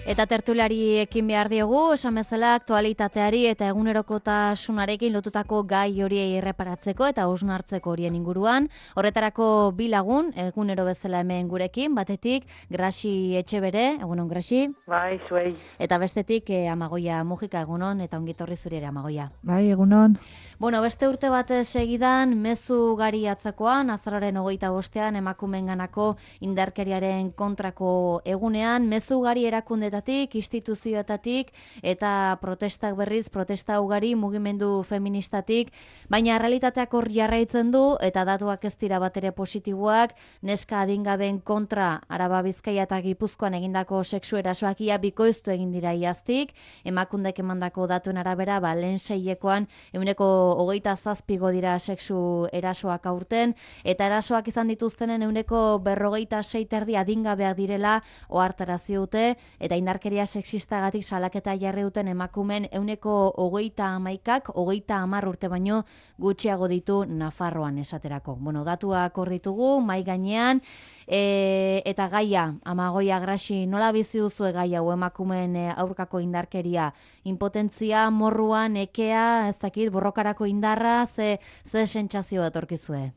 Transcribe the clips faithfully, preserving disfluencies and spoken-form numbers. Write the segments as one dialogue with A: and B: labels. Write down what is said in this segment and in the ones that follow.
A: Eta tertuliari ekin behar diogu, esan bezala aktualitateari eta egunerokotasunarekin lotutako gai horiei erreparatzeko eta hausnartzeko horien inguruan. Horretarako bi lagun, egunero bezala hemen gurekin, batetik Grasi Etxebere, egunon Grasi.
B: Bai, zuei.
A: Eta bestetik eh, Amagoia Mujika, egunon, eta ongitorri zuri ere Amagoia.
C: Bai, egunon.
A: Bueno, beste urte batez segidan, mezu gari atzakoan, azaroaren hogeita bostean, emakumeenganako indarkeriaren kontrako egunean, mezu gari erakundetatik, instituzioetatik, eta protestak berriz, protesta ugari, mugimendu feministatik, baina realitateak hor jarraitzen du, eta datuak ez dira batere positiboak, neska adingabeen kontra, Araba Bizkaia eta Gipuzkoan egindako sexu erasoak ia bikoiztu egin dira iaztik, emakundek emandako datuen arabera, ba, lehen seilekoan, euneko hogeita zazpigo dira sexu erasoak aurten, eta erasoak izan dituztenen euneko berrogeita sei terdi adingabeak direla ohartarazi dute, eta indarkeria sexistagatik salaketa jarri duten emakumen euneko hogeita hamaikak, hogeita hamar urte baino gutxiago ditu Nafarroan esaterako. Bueno, datuak hor ditugu, mai gainean, e, eta gaia, Amagoia Grasi, nola bizi duzu gai hau emakumeen aurkako indarkeria? Impotentzia, morruan, ekea, ez dakit, borrokarako indarra, ze, ze sentsazio etorkizue?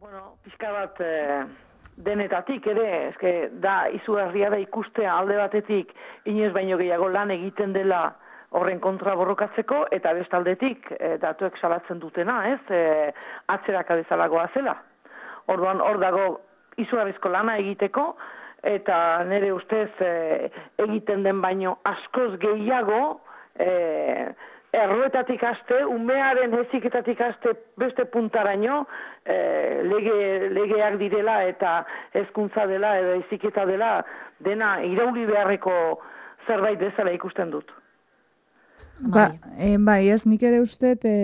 B: Bueno, pixka bat eh, denetatik ere, eske da izugarria da ikustea alde batetik inoiz baino gehiago lan egiten dela horren kontra borrokatzeko, eta bestaldetik eh, datuek salatzen dutena, ez, eh, atzeraka bezalagoa zela. Orduan hor dago izugarrizko lana egiteko, eta nire ustez eh, egiten den baino askoz gehiago eh, erroetatik haste, umearen heziketatik haste beste puntaraino eh, lege, legeak direla eta hezkuntza dela edo heziketa dela dena irauli beharreko zerbait bezala ikusten dut.
C: Ba, e, bai, ez nik ere uste e,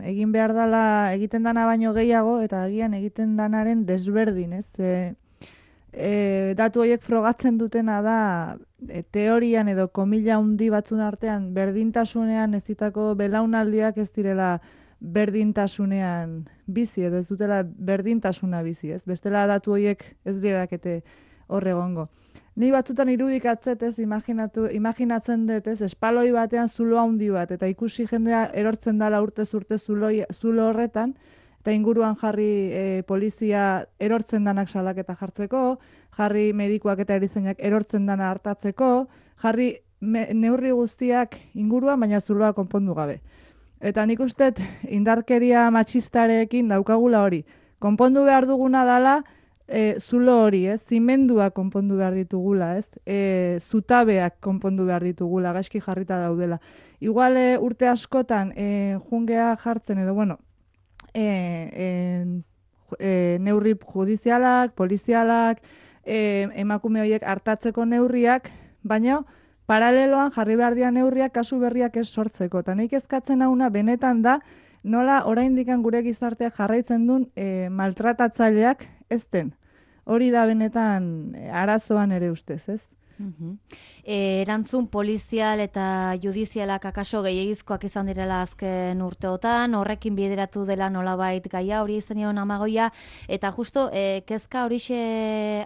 C: egin behar dela egiten dana baino gehiago eta agian egiten danaren desberdin, ez? E, e, datu horiek frogatzen dutena da e, teorian edo komila handi batzun artean berdintasunean ezitako belaunaldiak ez direla berdintasunean bizi edo ez dutela berdintasuna bizi, ez? Bestela datu horiek ez dirakete hor egongo. Ni batzutan irudikatzet ez, imaginatu, imaginatzen dut ez, espaloi batean zulo handi bat, eta ikusi jendea erortzen dala urtez urte zuloi, zulo horretan, eta inguruan jarri e, polizia erortzen danak salaketa jartzeko, jarri medikuak eta erizainak erortzen dana hartatzeko, jarri me, neurri guztiak inguruan, baina zuloa konpondu gabe. Eta nik uste indarkeria matxistarekin daukagula hori. Konpondu behar duguna dala, E, zulo hori, ez, zimendua konpondu behar ditugula, ez, e, zutabeak konpondu behar ditugula, gaizki jarrita daudela. Igual e, urte askotan e, jungea jartzen edo, bueno, e, e, e, neurri judizialak, polizialak, e, emakume horiek hartatzeko neurriak, baina paraleloan jarri behar dian neurriak kasu berriak ez sortzeko. Eta nik ezkatzen hauna benetan da, nola oraindik gure gizartea jarraitzen duen e, maltratatzaileak ez den. Hori da benetan arazoan ere ustez, ez?
A: Uh-huh. E, erantzun polizial eta judizialak akaso gehiagizkoak izan direla azken urteotan, horrekin bideratu dela nolabait gaia hori izenion Amagoia, eta justo e, kezka horixe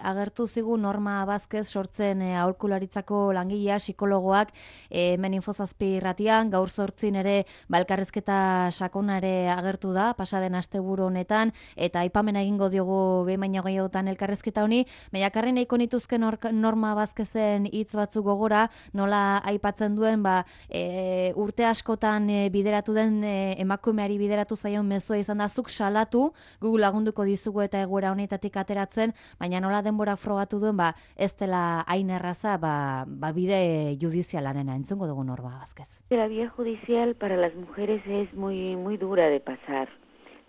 A: agertu zigu Norma Vázquez sortzen e, aholkularitzako langilea, psikologoak e, hemen Infozazpi irratian, gaur zortzin ere balkarrezketa sakona ere agertu da, pasaden asteburu honetan, eta aipamena egingo diogu behin baino gehiagotan elkarrezketa honi, baina nahiko nituzke Norma Vázquezen hitz batzuk gogora, nola aipatzen duen ba, e, urte askotan e, bideratu den e, emakumeari bideratu zaion mezua izan da zuk salatu, gu lagunduko dizugu eta egoera honetatik ateratzen, baina nola denbora frogatu duen ba, ez dela hain erraza ba, ba bide judizialanena, entzungo dugu Norma Vázquez.
D: La vía judicial para las mujeres es muy, muy dura de pasar.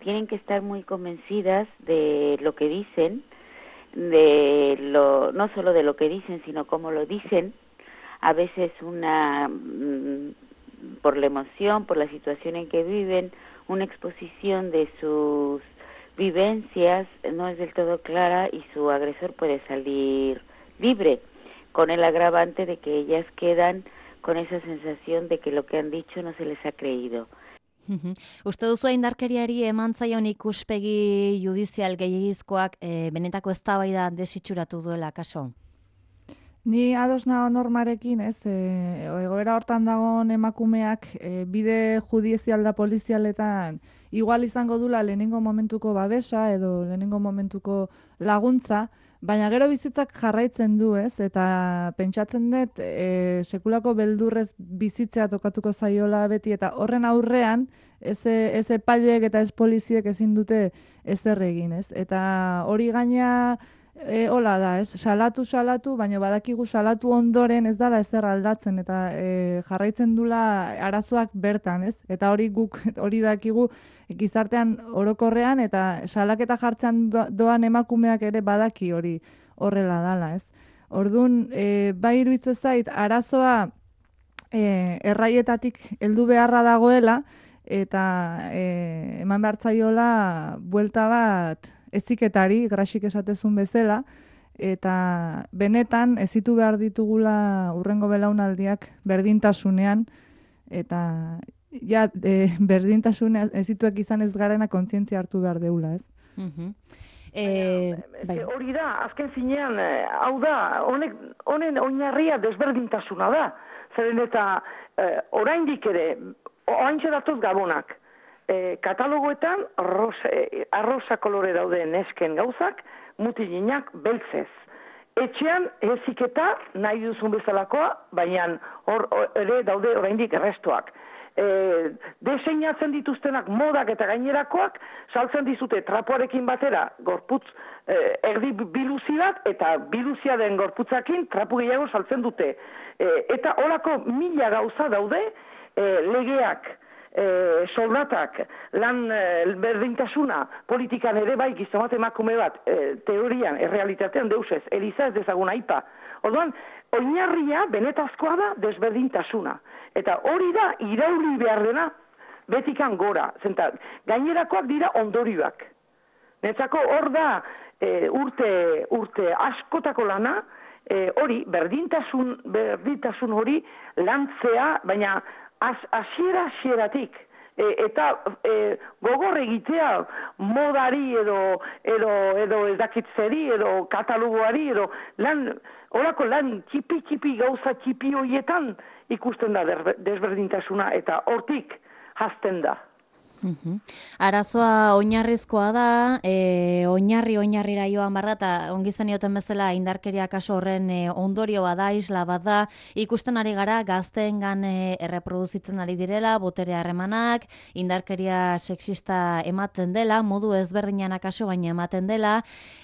D: Tienen que estar muy convencidas de lo que dicen, de lo no solo de lo que dicen, sino cómo lo dicen, a veces una mmm, por la emoción, por la situación en que viven, una exposición de sus vivencias no es del todo clara y su agresor puede salir libre, con el agravante de que ellas quedan con esa sensación de que lo que han dicho no se les ha creído.
A: Uste duzu indarkeriari eman zaion ikuspegi judizial gehiagizkoak e, benetako eztabaida desitxuratu duela kaso?
C: Ni ados nago Normarekin, ez, e, egoera hortan dagoen emakumeak e, bide judizial da polizialetan igual izango dula lehenengo momentuko babesa edo lehenengo momentuko laguntza, baina gero bizitzak jarraitzen du, ez, eta pentsatzen dut e, sekulako beldurrez bizitzea tokatuko zaiola beti, eta horren aurrean ez, ez epaileek eta ez poliziek ezin dute ezer egin, ez, eta hori gaina E, hola da, ez, salatu, salatu, baina badakigu salatu ondoren ez dala ezer aldatzen, eta e, jarraitzen dula arazoak bertan, ez? Eta hori guk, hori dakigu gizartean orokorrean, eta salaketa jartzen doan emakumeak ere badaki hori horrela dala, ez? Orduan, e, bai iruditzen zait, arazoa e, erraietatik heldu beharra dagoela, eta e, eman behar zaiola buelta bat eziketari, grasik esatezun bezala, eta benetan ezitu behar ditugula urrengo belaunaldiak berdintasunean, eta ja, e, berdintasunean ezituak izan ez garena kontzientzia hartu behar deula, ez?
A: Uh-huh. E,
B: bai. Hori da, azken zinean, hau da, honek, honen oinarria desberdintasuna da, zeren eta eh, oraindik ere, oaintxe datoz gabonak, E, katalogoetan arroza, e, arroza kolore daude nesken gauzak, mutilinak beltzez. Etxean heziketa nahi duzun bezalakoa, baina hor ere daude oraindik errestoak. E, deseinatzen dituztenak modak eta gainerakoak, saltzen dizute trapuarekin batera gorputz e, erdi biluzi bat, eta biluzia den gorputzakin trapu gehiago saltzen dute. E, eta horako mila gauza daude e, legeak, E, soldatak, lan e, berdintasuna, politikan ere bai gizomat emakume bat, e, teorian, errealitatean deusez, eliza ez dezagun aipa. Orduan, oinarria benetazkoa da desberdintasuna. Eta hori da irauli behar dena betikan gora. Zenta, gainerakoak dira ondorioak. Netzako hor da e, urte, urte askotako lana, e, hori berdintasun, berdintasun hori lantzea, baina hasiera hasieratik e, eta e, gogor egitea modari edo edo edo edakitzeri edo katalogoari edo lan horako lan txipi txipi gauza txipi hoietan ikusten da desberdintasuna eta hortik hasten da.
A: Uhum. Arazoa oinarrizkoa da, e, oinarri oinarrira joan barra, eta ongizan ioten bezala indarkeria kaso horren e, ondorio bada, isla bada, ikusten ari gara gazteengan e, erreproduzitzen ari direla, botere harremanak, indarkeria sexista ematen dela, modu ezberdinan akaso baina ematen dela,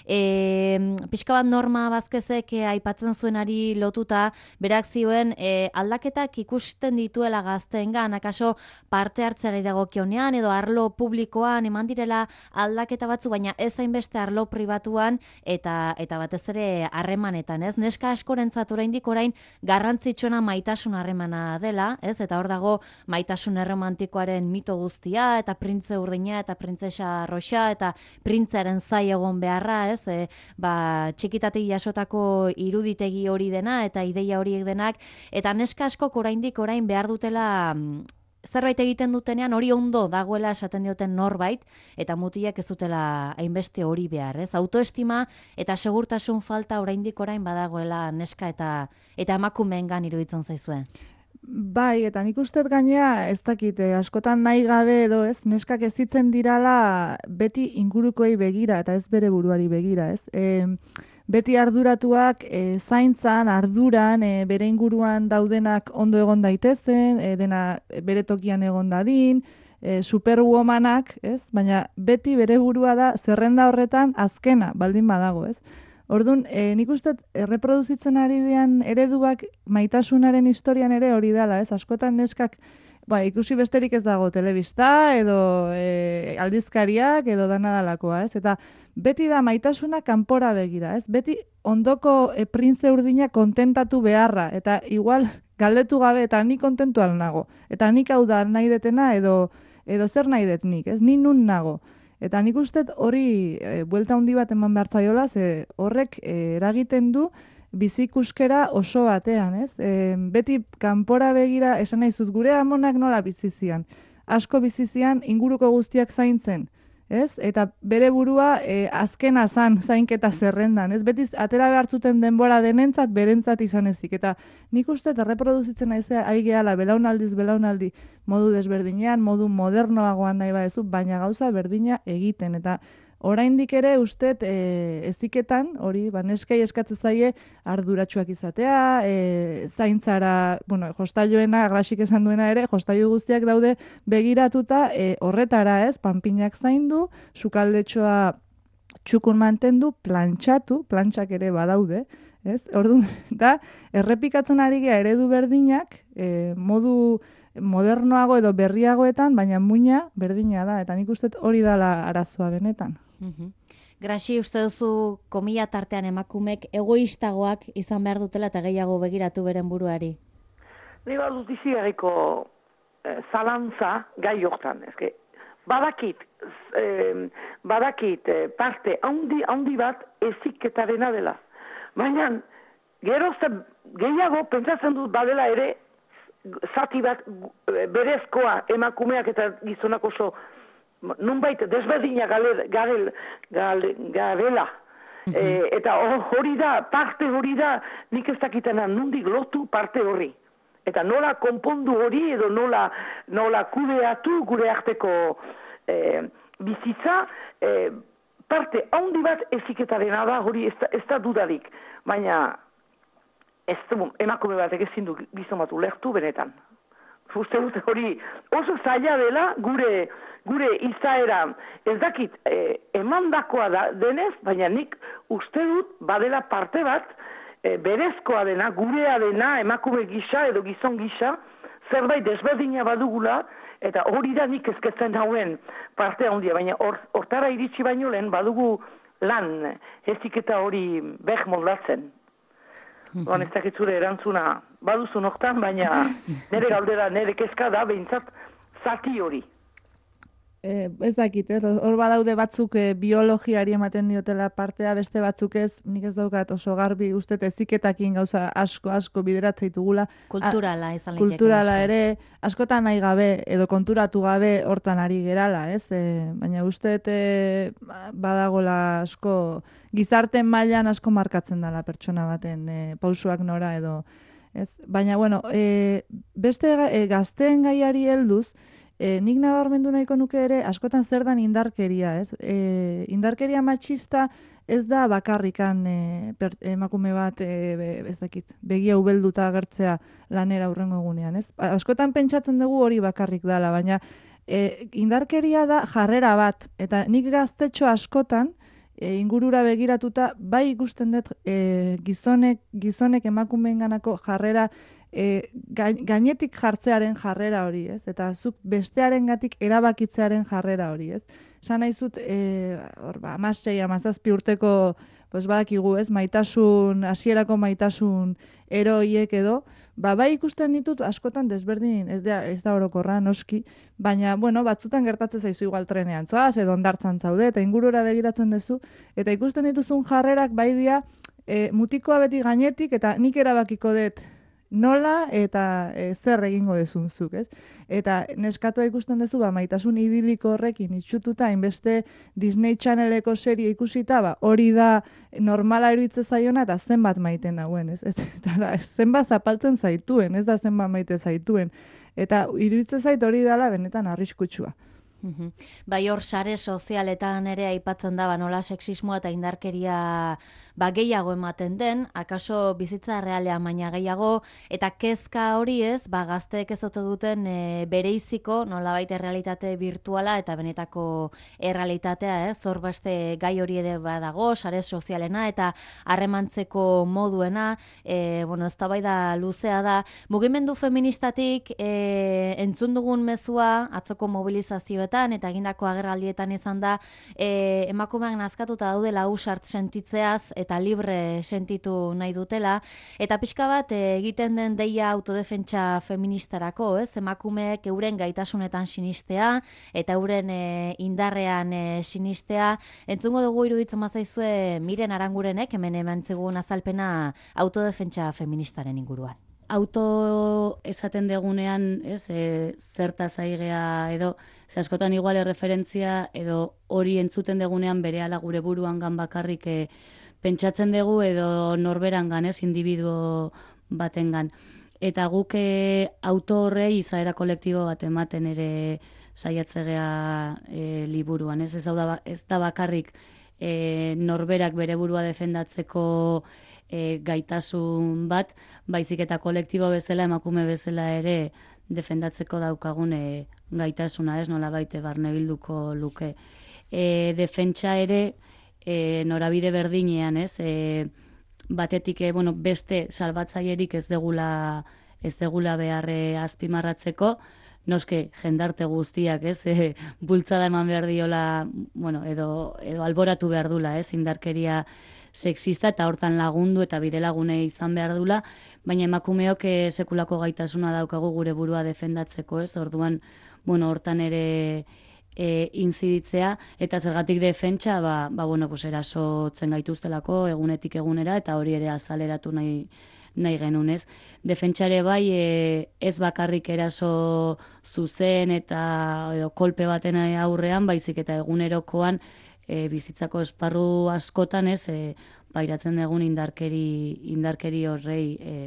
A: e, pixka bat Norma Bazkezek e, aipatzen zuenari lotuta, berak zioen e, aldaketak ikusten dituela gazteengan, akaso parte hartzeari dagokionean, edo arlo publikoan eman direla aldaketa batzu, baina ez hainbeste arlo pribatuan eta eta batez ere harremanetan, ez? Neska askorentzat oraindik orain garrantzitsuena maitasun harremana dela, ez? Eta hor dago maitasun erromantikoaren mito guztia eta printze urdina eta printzesa roxa eta printzaren zai egon beharra, ez? E, ba, txikitatik jasotako iruditegi hori dena eta ideia horiek denak, eta neska askok oraindik orain behar dutela zerbait egiten dutenean hori ondo dagoela esaten dioten norbait, eta mutilak ez dutela hainbeste hori behar, ez? Autoestima eta segurtasun falta oraindik orain badagoela neska eta eta emakumeengan iruditzen zaizue.
C: Bai, eta nik uste gainea ez dakit, askotan nahi gabe edo ez, neskak ezitzen dirala beti ingurukoei begira eta ez bere buruari begira, ez? E, beti arduratuak e, zaintzan, arduran, e, bere inguruan daudenak ondo egon daitezen, e, dena bere tokian egon dadin, e, superwomanak, ez? Baina beti bere burua da zerrenda horretan azkena, baldin badago, ez? Orduan, e, nik uste erreproduzitzen ari dian ereduak maitasunaren historian ere hori dela, ez? Askotan neskak ba, ikusi besterik ez dago telebista edo e, aldizkariak edo dana dalakoa, ez? Eta beti da maitasuna kanpora begira, ez? Beti ondoko e, printze urdina kontentatu beharra, eta igual galdetu gabe eta ni kontentu al nago. Eta nik hau da nahi detena edo, edo zer nahi det nik, ez? Ni nun nago. Eta nik uste hori e, buelta handi bat eman behar zaiola, ze horrek e, eragiten du bizikuskera oso batean, ez? E, beti kanpora begira esan nahi zut gure amonak nola bizizian. Asko bizizian inguruko guztiak zaintzen. ez? Eta bere burua e, azkena zan zainketa zerrendan, ez? Beti atera behartzuten denbora denentzat, berentzat izan ezik. Eta nik uste erreproduzitzen naizea aigeala belaunaldiz belaunaldi modu desberdinean, modu modernoagoan nahi badezu, baina gauza berdina egiten. Eta oraindik ere uste e, eziketan, hori, ba, neskei eskatzen zaie arduratsuak izatea, e, zaintzara, bueno, jostailuena, Grasik esan duena ere, jostailu guztiak daude begiratuta e, horretara, ez, panpinak zaindu, sukaldetxoa txukun mantendu, plantxatu, plantxak ere badaude, ez? Orduan, da, errepikatzen ari gea eredu berdinak, e, modu modernoago edo berriagoetan, baina muina berdina da, eta nik uste hori dala arazoa benetan.
A: Mm-hmm. Grasi, uste duzu komila tartean emakumek egoistagoak izan behar dutela eta gehiago begiratu beren buruari?
B: Ni bat dut izi garriko eh, zalantza gai hortan. Ezke, badakit, eh, badakit eh, parte handi, handi bat eziketarena dela. Baina, gerozta gehiago pentsatzen dut badela ere zati bat berezkoa emakumeak eta gizonak oso nunbait desberdina garela. Garela. E, eta hori da, parte hori da, nik ez dakitena nundik lotu parte hori. Eta nola konpondu hori edo nola, nola kudeatu gure arteko e, bizitza, e, parte handi bat eziketarena da hori ez da, ez da dudarik. Baina ez du, emakume batek ezin du gizon bat ulertu benetan. Uste dut hori oso zaila dela gure gure izaera, ez dakit eh, emandakoa da denez, baina nik uste dut badela parte bat eh, berezkoa dena, gurea dena, emakume gisa edo gizon gisa, zerbait desberdina badugula, eta hori da nik ezketzen hauen parte handia, baina hortara or, iritsi baino lehen badugu lan, eziketa hori beh moldatzen. Oan ez dakitzure erantzuna baduzu noktan, baina nire galdera, nire kezka da, behintzat zati hori.
C: E, ez dakit, ez? Hor badaude batzuk e, biologiari ematen diotela partea, beste batzuk ez, nik ez daukat oso garbi, uste eziketakin gauza asko, asko bideratzeitugula.
A: Kulturala izan liteke.
C: Kulturala ere, askotan nahi gabe, edo konturatu gabe hortan ari gerala, ez? E, baina uste e, badagola asko, gizarten mailan asko markatzen dela pertsona baten e, pausuak nora edo, ez? Baina, bueno, e, beste e, gazteen gaiari helduz, E, nik nabarmendu nahiko nuke ere, askotan zer dan indarkeria, ez? E, indarkeria matxista ez da bakarrikan e, per, emakume bat, e, ez dakit, begia ubelduta agertzea lanera hurrengo egunean, ez? Askotan pentsatzen dugu hori bakarrik dala, baina e, indarkeria da jarrera bat, eta nik gaztetxo askotan, e, ingurura begiratuta, bai ikusten dut e, gizonek, gizonek emakumeenganako jarrera E, gainetik jartzearen jarrera hori, ez? Eta zuk bestearengatik erabakitzearen jarrera hori, ez? Esan nahi zut, e, hor, ba, amasei, amazazpi urteko, pues, badakigu, ez? Maitasun, hasierako maitasun eroiek edo, ba, bai ikusten ditut askotan desberdin, ez da, ez da orokorra, noski, baina, bueno, batzutan gertatzen zaizu igual trenean, zoaz, edo ondartzan zaude, eta ingurura begiratzen duzu, eta ikusten dituzun jarrerak bai dia, e, mutikoa beti gainetik, eta nik erabakiko dut, nola eta e, zer egingo dezunzuk, ez? Eta neskatua ikusten duzu, ba, maitasun idiliko horrekin itxututa, inbeste Disney Channeleko serie ikusita, ba, hori da normala iruditzen zaiona, eta zenbat maiten dauen, ez? Eta da, zenbat zapaltzen zaituen, ez da zenbat maite zaituen. Eta iruditzen zait hori dela benetan arriskutsua.
A: Mm-hmm. Bai, hor sare sozialetan ere aipatzen da, ba, nola sexismoa eta indarkeria ba, gehiago ematen den, akaso bizitza realean baina gehiago, eta kezka hori ez, ba, gazteek ez ote duten e, bereiziko, nolabait errealitate virtuala eta benetako errealitatea, ez, hor beste gai hori ere badago, sare sozialena eta harremantzeko moduena, e, bueno, ez da bai da luzea da, mugimendu feministatik e, entzun dugun mezua, atzoko mobilizazioetan eta egindako agerraldietan izan da, e, emakumeak nazkatuta daudela ausart sentitzeaz, eta libre sentitu nahi dutela, eta pixka bat e, egiten den deia autodefentsa feministarako, ez? Emakumeek euren gaitasunetan sinistea, eta euren e, indarrean e, sinistea. Entzungo dugu iruditzen mazaizue Miren Arangurenek, hemen emantzegun azalpena autodefentsa feministaren inguruan.
E: auto esaten degunean, ez, e, zertaz aigea edo, ze askotan igual erreferentzia edo hori entzuten degunean berehala gure buruan gan bakarrik e, pentsatzen dugu edo norberangan, ez, individuo batengan. Eta guk e, auto horrei izaera kolektibo bat ematen ere saiatzegea e, liburuan, ez, ez da, ez da bakarrik e, norberak bere burua defendatzeko e, gaitasun bat, baizik eta kolektibo bezala, emakume bezala ere defendatzeko daukagun e, gaitasuna, ez, nola baite barnebilduko luke. E, defentsa ere e, norabide berdinean, ez, e, batetik e, bueno, beste salbatzaierik ez degula, ez degula beharre azpimarratzeko, noske jendarte guztiak, ez, e, bultzada eman behar diola, bueno, edo, edo alboratu behar dula, ez, indarkeria sexista eta hortan lagundu eta bidelagune izan behar dula, baina emakumeok e, sekulako gaitasuna daukagu gure burua defendatzeko, ez, orduan, bueno, hortan ere e, inziditzea, eta zergatik defentsa, ba, ba bueno, pues erasotzen gaituztelako egunetik egunera, eta hori ere azaleratu nahi, nahi genunez. Defentsare bai e, ez bakarrik eraso zuzen eta edo kolpe baten aurrean, baizik eta egunerokoan e, bizitzako esparru askotan, ez, e, pairatzen dugun indarkeri, indarkeri horrei e,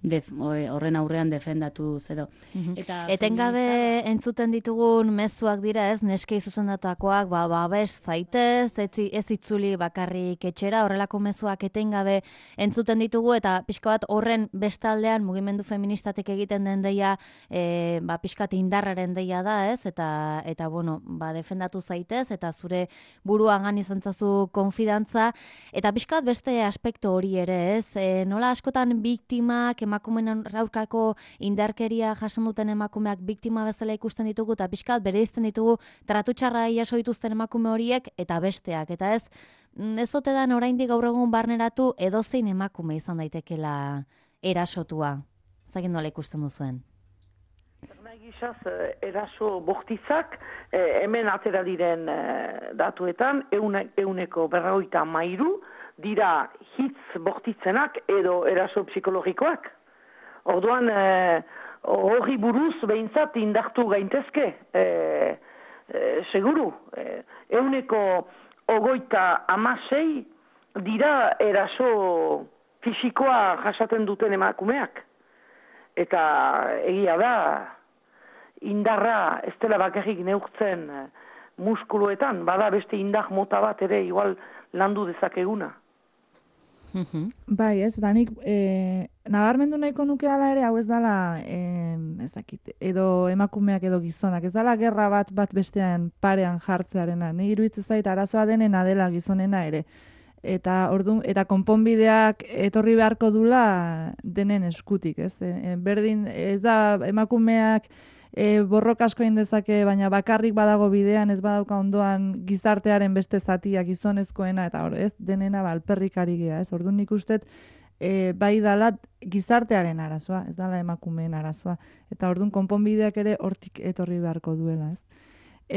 E: Def, horren aurrean defendatu edo.
A: Mm-hmm. Eta etengabe feminista... entzuten ditugun mezuak dira, ez, neskei zuzendatakoak, ba, babes zaitez, ez, ez itzuli bakarrik etxera, horrelako mezuak etengabe entzuten ditugu, eta pixka bat horren bestaldean mugimendu feministatek egiten den deia, e, ba, pixka bat indarraren deia da, ez, eta, eta bueno, ba, defendatu zaitez, eta zure buruagan izan zazu konfidantza, eta pixka bat beste aspektu hori ere, ez, e, nola askotan biktimak, emakumeen aurkako indarkeria jasan duten emakumeak biktima bezala ikusten ditugu eta pixkat bereizten ditugu tratu txarra jaso dituzten emakume horiek eta besteak. Eta ez, ez ote da oraindik gaur egun barneratu edozein emakume izan daitekela erasotua. Zagin nola ikusten duzuen?
B: Gizaz, eraso bortitzak, eh, hemen atera diren eh, datuetan, eune, euneko berrogeita mairu, dira hitz bortitzenak edo eraso psikologikoak. Orduan, eh, hori buruz behintzat indartu gaintezke, eh, eh, seguru. Eh, euneko ogoita amasei dira eraso fisikoa jasaten duten emakumeak. Eta egia da, indarra ez dela bakarrik neurtzen eh, muskuluetan, bada beste indar mota bat ere igual landu dezakeguna.
C: Bai, ez, danik, e, nabarmendu nahiko nuke ala ere, hau ez dala, e, ez dakit, edo emakumeak edo gizonak, ez dala gerra bat bat bestean parean jartzearena, ni iruditzen zait arazoa denena dela gizonena ere, eta ordu, eta konponbideak etorri beharko dula denen eskutik, ez, e, berdin, ez da emakumeak E, borroka asko egin dezake, baina bakarrik badago bidean, ez badauka ondoan gizartearen beste zatia gizonezkoena, eta hor, ez, denena ba, alperrik ari gea, ez, orduan nik ustet, e, bai dala gizartearen arazoa, ez dala emakumeen arazoa, eta orduan konponbideak ere hortik etorri beharko duela, ez.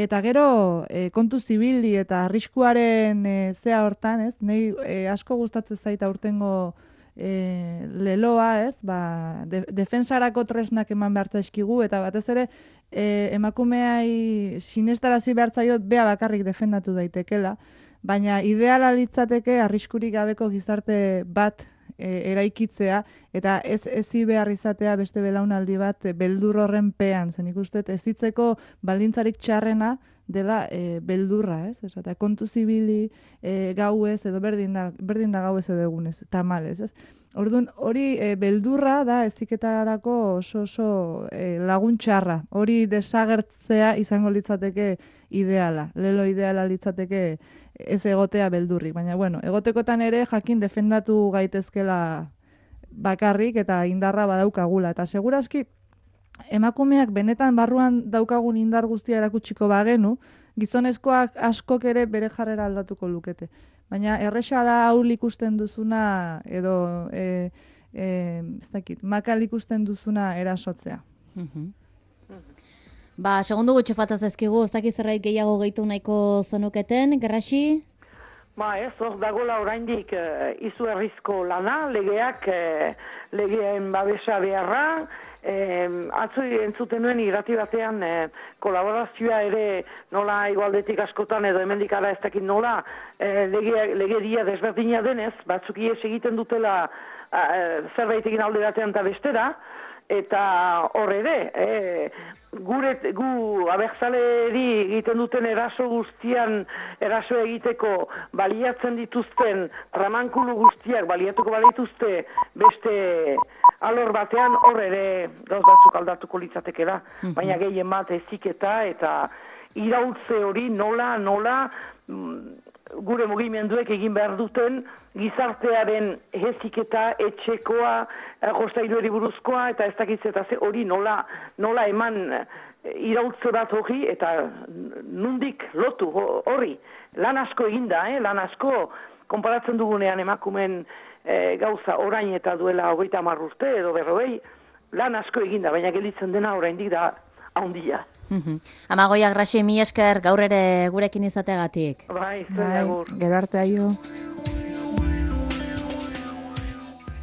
C: Eta gero, e, kontu zibili eta arriskuaren e, zea hortan, ez, nahi e, asko gustatzen zaita urtengo E, leloa, ez, ba, de, defensarako tresnak eman behartza eskigu, eta batez ere e, emakumeai sinestarazi behartzaio bea bakarrik defendatu daitekela, baina ideala litzateke arriskurik gabeko gizarte bat e, eraikitzea, eta ez ezi behar izatea beste belaunaldi bat e, beldur horren pean, zen ikustet ez hitzeko baldintzarik txarrena dela e, beldurra, ez? Ez, eta kontu zibili e, gauez edo berdin da, berdin da gauez edo egunez, tamalez, ez? Orduan, hori e, beldurra da eziketarako oso oso e, laguntxarra. Hori desagertzea izango litzateke ideala. Lelo ideala litzateke ez egotea beldurrik. Baina, bueno, egotekotan ere jakin defendatu gaitezkela bakarrik eta indarra badaukagula. Eta segurazki, emakumeak benetan barruan daukagun indar guztia erakutsiko bagenu, gizonezkoak askok ere bere jarrera aldatuko lukete. Baina erresa da haul ikusten duzuna edo e, e, ez dakit, makal ikusten duzuna erasotzea.
A: Ba, segundu gutxe fataz ezkigu, ez dakit zerbait gehiago gehitu nahiko zenuketen, Gerrasi?
B: Ba ez, hor dagola oraindik uh, izugarrizko lana, legeak, uh, legeen babesa beharra, um, atzo entzuten nuen irrati batean uh, kolaborazioa ere nola igualdetik askotan edo hemendik ara ez dakit nola uh, lege, legeria desberdina denez, batzuk ies egiten dutela uh, zerbait egin alde batean eta bestera, eta hor ere, eh, gure, gu abertzaleri egiten duten eraso guztian, eraso egiteko baliatzen dituzten tramankulu guztiak baliatuko balituzte beste alor batean, hor ere gauz batzuk aldatuko litzateke da, mm-hmm. baina gehien bat eziketa eta iraultze hori nola, nola, gure mugimenduek egin behar duten gizartearen heziketa etxekoa, jostailueri buruzkoa eta ez dakitzeta ze hori nola, nola eman iraultze bat hori eta nundik lotu hori. Lan asko eginda, eh? lan asko konparatzen dugunean emakumen eh, gauza orain eta duela hogeita hamar urte edo berrogei, lan asko eginda, baina gelditzen dena oraindik da haundia.
A: Amagoia Graxi, mi esker gaur ere gurekin izateagatik.
B: Bai, zer
C: Gero arte aio.